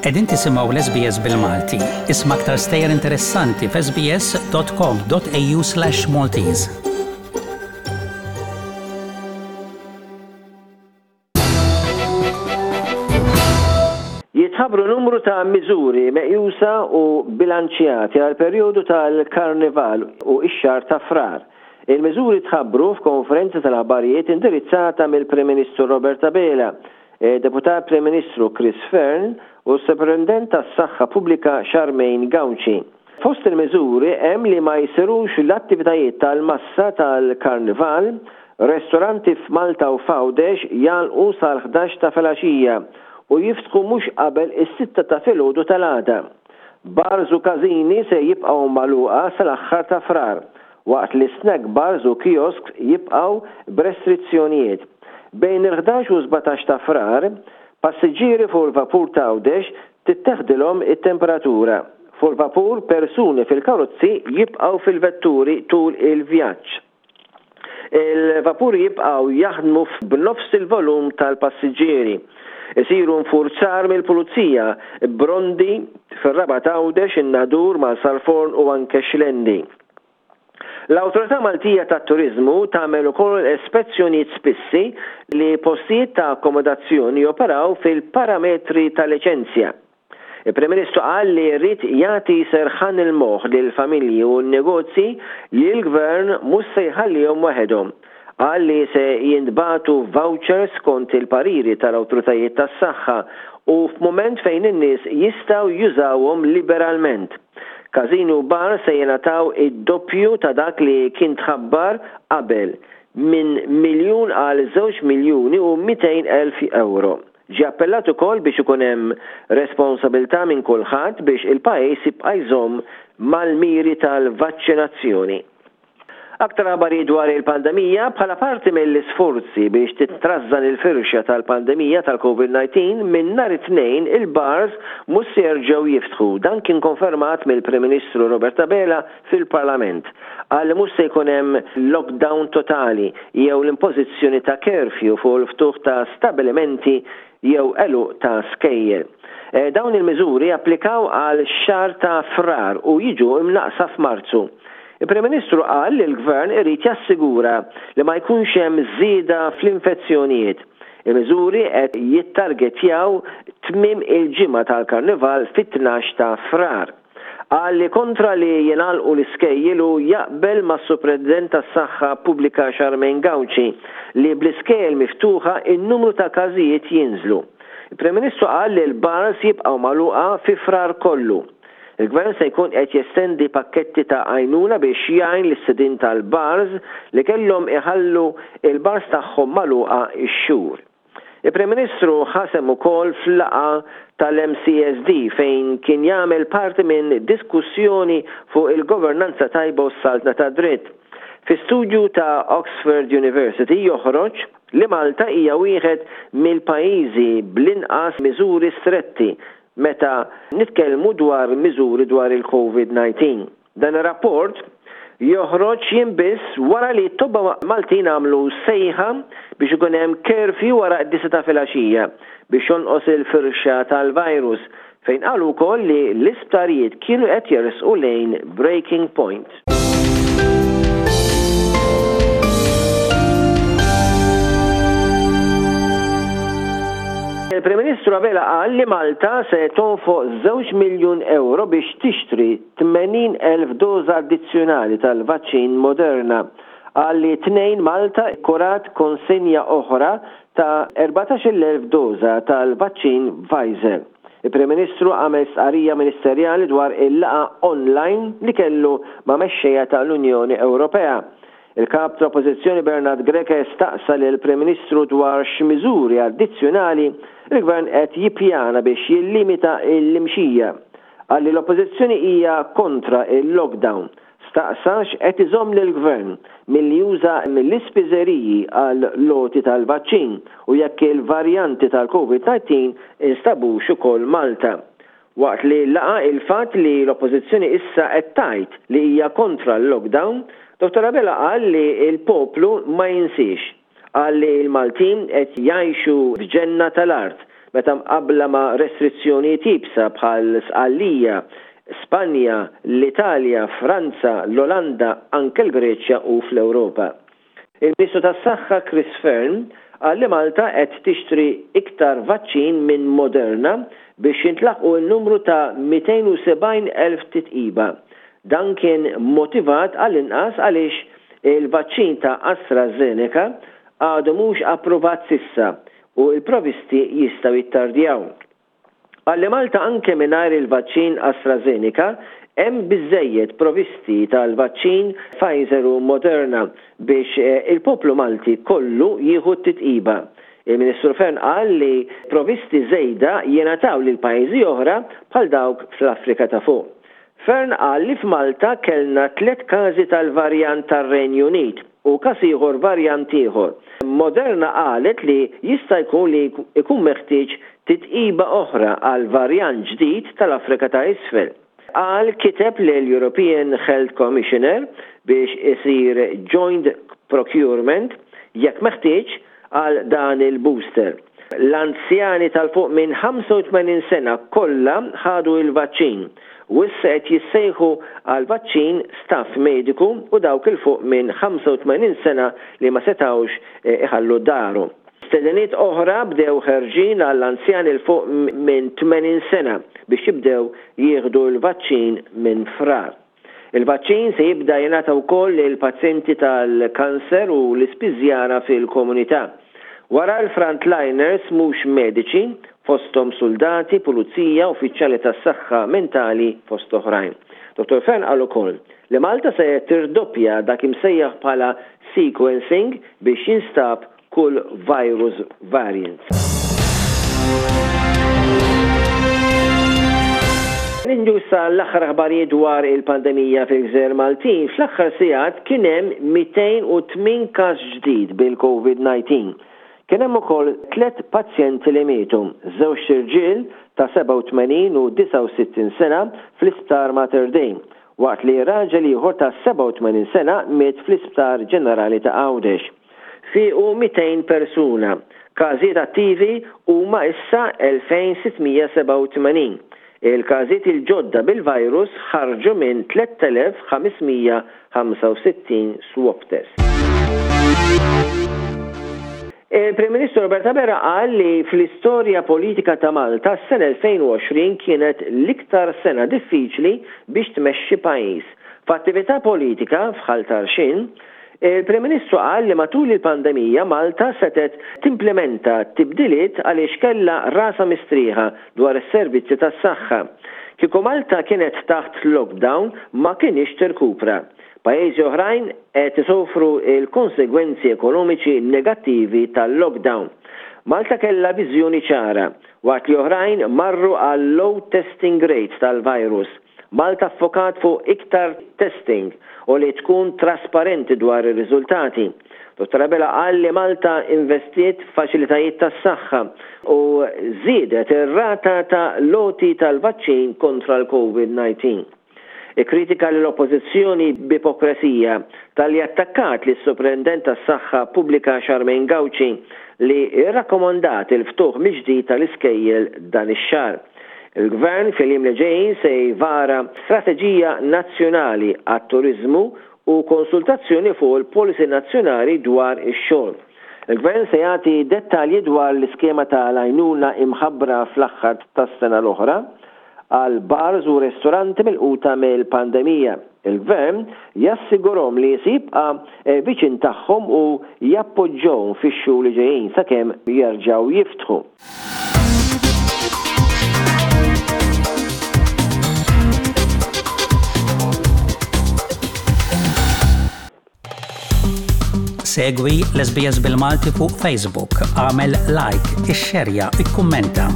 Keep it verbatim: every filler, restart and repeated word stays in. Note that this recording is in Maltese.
Qegħdin tisimgħu l-S B S bil-Malti. Isma' aktar stejjer interessanti f'S B S dot com dot A U slash Maltese. Jitħabbru numru ta' miżuri meqjusa u bilanċjati għal perjodu tal-Karnival u x-xahar ta' Frar. Il-miżuri tħabbru f'konferenza tal-aħbarijiet indirizzata mill-Prim Ministru Robert Abela, Deputat Prim Ministru Chris Fearne u s-Superintendent tas-Saħħa Pubblika Charmaine Gauci. Fost il-miżuri hemm li ma jsirux l-attivitajiet tal-massa tal-Karnival, ristoranti f'Malta u f'Għawdex jagħlqu sal-ħdax ta' filgħaxija u jiftħu mhux qabel is-sitta ta' filgħodu tal-għada. Bars u każini se jibqgħu magħluqa sal-aħħar ta' Frar, waqt li snack bars u kiosks jibqgħu b'restrizzjonijiet. Bejn il-ħdax u sbatax ta' Frar, passiġġieri fuq il-vapur ta' Għawdex titteħdilhom it-temperatura. Fuq il-vapur, persuni fil-karozzi jibqgħu fil-vetturi tul il-vjaġġ. Il-vapuri jibqgħu jaħdmu b'nofs il-volum tal-passiġġieri. Isiru nfurzar mill-pulizija b'rondi fir-Rabat, Għawdex, in-Nadur, Marsalforn u anke Xlendi. L-Awtorità Maltija tat-Turizmu tagħmel ukoll ispezzjonijiet spissi li postijiet ta' akkomodazzjoni joperaw fil-parametri ta' liċenzja. Il-Prim Ministru qal li rrid jagħti serħan il-moħħ lil familji u n-negozji li l-gvern mhux se jħallihom waħedhom. Qal li se jintbagħtu vouchers skont il-pariri tal-awtoritajiet tas-saħħa u f'mument fejn in-nies jistgħu jużawhom liberalment. Każini u bar se jingħataw id-doppju ta' dak li kien tħabbar qabel, minn miljun għal żewġ miljuni u mitejn elf euro. Ġi appellat ukoll biex ikun hemm responsabilità minn kulħadd biex il-pajjiż jibqa' jżomm mal-miri tal-vaċċinazzjoni. Aktar aħbarijiet dwar il-pandemija: bħala parti mill-isforzi biex titrażżan il-firxa tal-pandemija tal-COVID disa minn nhar it-Tnejn il-bars mhux se jerġgħu jiftħu. Dan kien konfermat mill-Prim Ministru Robert Abela fil-Parlament. Qal li mhux se jkun hemm lockdown totali jew l-impożizzjoni ta' curfew fuq il-ftuħ ta' stabilimenti jew għeluq ta' skejjel. E, dawn il-miżuri applikaw għal xahar ta' Frar u jiġu imnaqsa f'Marzu. Il-Prim Ministru qal li l-Gvern irid jassigura li ma jkunx hemm żieda fl-infezzjonijiet. Il-miżuri qed jittargetjaw tmiem il-ġimgħa tal-Karnival fit-tnax ta' Frar. Qal li kontra li jingħalqu l-iskejjel u jaqbel mas-Superintendent tas-Saħħa Pubblika Charmaine Gauci li bl-iskejjel miftuħa in-numru ta' każijiet jinżlu. Il-Prim Ministru qal li l-bars jibqgħu magħluqa fi Frar kollu. Il-Gvern se jkun qed jestendi pakketti ta' għajnuna biex jgħin lis-sidin tal-bars li kellhom iħallu il-bars tagħhom magħluqa x-xhur. Il-Prim Ministru ħa sehem ukoll f'laqgħa tal-M C S D fejn kien jagħmel parti minn diskussjoni fuq il-governanza tajba u s-saltna ta' dritt. Fi studju ta' Oxford University joħroġ li Malta hija wieħed mill-pajjiżi bl-inqas miżuri stretti meta nitkellmu dwar miżuri dwar il-COVID disa. Dan ir-rapport joħroġ jiem biss wara li t-tobba Maltin għamlu sejħa biex ikun hemm curfew wara d-disgħa ta' filgħaxija biex jonqos il-firxa tal-virus, fejn qalu wkoll li l-isptarijiet kienu qed jersqu lejn breaking point. Il-Prim Ministru Abela qal li Malta se tonfoq żewġ miljun euro biex tixtri tmenin elf doża addizzjonali tal-vaċċin Moderna. Qal li t-Tnejn Malta kurat konsenja oħra ta' erbatax-il elf doża tal-vaċċin Pfizer. Il-Prim Ministru għamel stqarrija ministerjali dwar il-laqgħa online li kellu ma' mexxejja tal-Unjoni Ewropea. Il-kap tal-Oppożizzjoni Bernard Grech staqsa lil prim Ministru dwar x'miżuri addizzjonali il-Gvern qed jippjana biex jillimita l-imxija. Qal li l-Oppożizzjoni hija kontra il-lockdown. Staqsa x'qed iżomm lill-Gvern milli juża mill-ispiżeriji għall-għoti tal-vaċċin u jekk il-varjanti tal-COVID disa instabux ukoll Malta. Waqt li laqa il-fatt li l-Oppożizzjoni issa qed tgħid li hija kontra l-lockdown, Dottor Abela qal li l-poplu ma jinsiex. Qal li l-Maltin qed jgħixu f'ġenna tal-art meta mqabbla ma' restrizzjonijiet iebsa bħal Sqallija, Spanja, l-Italja, Franza, l-Olanda, anke l-Greċja u fl-Ewropa. Il-Ministru tas-Saħħa Chris Fearne qal li Malta qed tixtri iktar vaċċin minn Moderna biex jintlaħqu n-numru ta' mitejn u sebgħin elf titqiba. Dan kien motivat għall-inqas għaliex il-vaċċin ta' AstraZeneca għadu mhux approvat s'issa u l-provisti jistgħu jittardjaw. Qal li Malta anke mingħajr il-vaċċin AstraZeneca hemm biżżejjed provisti tal-vaċċin Pfizer u Moderna biex il-poplu Malti kollu jieħu t-titqiba. Il-Ministru Fearne qal li provisti żejda jingħataw lil pajjiżi oħra bħal dawk fl-Afrika ta' Fuq. Fearne qal li f'Malta kellna tliet każi tal-varjant tar-Renju Unit u każ ieħor varjant ieħor. Moderna qalet li jista' jkun li jkun meħtieġ titqiba oħra għal varjant ġdid tal-Afrika ta' Isfel. Qal kiteb lil European Health Commissioner biex isir joint procurement jekk meħtieġ għal dan il-booster. L-anzjani tal-fuq minn ħamsa u tmenin sena kollha ħadu il-vaċċin u issa qed jissejħu għal vaċċin staff mediku u dawk il fuq minn ħamsa u tmenin sena li ma setgħux, eh, iħallu daru. Stediniet oħra bdew ħerġin għall-anzjani l fuq minn tmenin sena biex jibdew jieħdu l-vaċċin minn Frar. Il-vaċċin se jibda jingħata wkoll lil pazjenti tal-kanser u l-ispiżjara fil-komunità. Wara l-frontliners mhux mediċi, fosthom soldati, pulizija, uffiċjali tas-saħħa mentali fost oħrajn. Dottor Fearne qal ukoll li Malta se tirdoppja dak imsejjaħ bħala sequencing biex jinstab kull virus variant. Ninġu issa l-aħħar aħbarijiet dwar il-pandemija fil-Gżejjer Maltin. Fl-aħħar sigħat kien hemm mitejn u tmien każ ġdid bil-COVID nineteen. Kien hemm ukoll tliet pazjenti li mietu, żewġ irġiel ta' sebgħa u tmenin u disgħa u sittin sena fl-Isptar Mater Dei, waqt li raġel ieħor ta' sebgħa u tmenin sena miet fl-Isptar Ġenerali ta' Għawdex. Fiequ mitejn persuna. Każijiet attivi huma issa elfejn sittmija sebgħa u tmenin. Il-każijiet il-ġodda bil-virus ħarġu minn tliet elef ħamesmija ħamsa u sittin swab test. Il-Prim Ministru Robert Abela qal li fl-istorja politika ta' Malta s-sena elfejn u għoxrin kienet l-iktar sena diffiċli biex tmexxi pajjiż. F'attività politika f'Ħal Tarxien, il-Prim Ministru qal li matul il-pandemija Malta setet timplementa tibdiliet għaliex kellha rasa mistrieħa dwar is-servizzi tas-saħħa. Kieku Malta kienet taħt lockdown ma kienx tirkupra. Pajjiżi oħrajn qed isofru l-konsegwenzi ekonomiċi negattivi tal-lockdown. Malta kellha viżjoni ċara, waqt li oħrajn marru għal low testing rates tal-virus. Malta ffokat fuq iktar testing u li tkun trasparenti dwar ir-riżultati. Dottor Abela qal li Malta investiet f'faċilitajiet tas-saħħa u żiedet ir-rata ta' loti tal-vaċċin kontra l-COVID nineteen. Ikkritika l-oppożizzjoni b'ipokresija tal-li attakkat lis soprendent tas-saħħa pubblika Charmaine Gauci li rrakkomandat il-ftuħ mill-ġdid tal-iskejjel dan ix-xahar. Il-Gvern fil-jiem li ġejjin se jvara strateġija nazzjonali għat-turiżmu u konsultazzjoni fuq il-policy nazzjonali dwar ix-xogħol. Il-Gvern se jagħti dettalji dwar l-iskema tal-għajnuna imħabbra fl-aħħar tas-sena l-oħra għal bars u ristoranti milquta mill-pandemija. Il-Gvern jassigurhom li se jibqa' viċin tagħhom u jappoġġhom fix-xhur li ġejjin sakemm jerġgħu jiftħu. Segwi l-S B S bil-Malti fuq Facebook, għamel like, ixxerja, ikkummenta.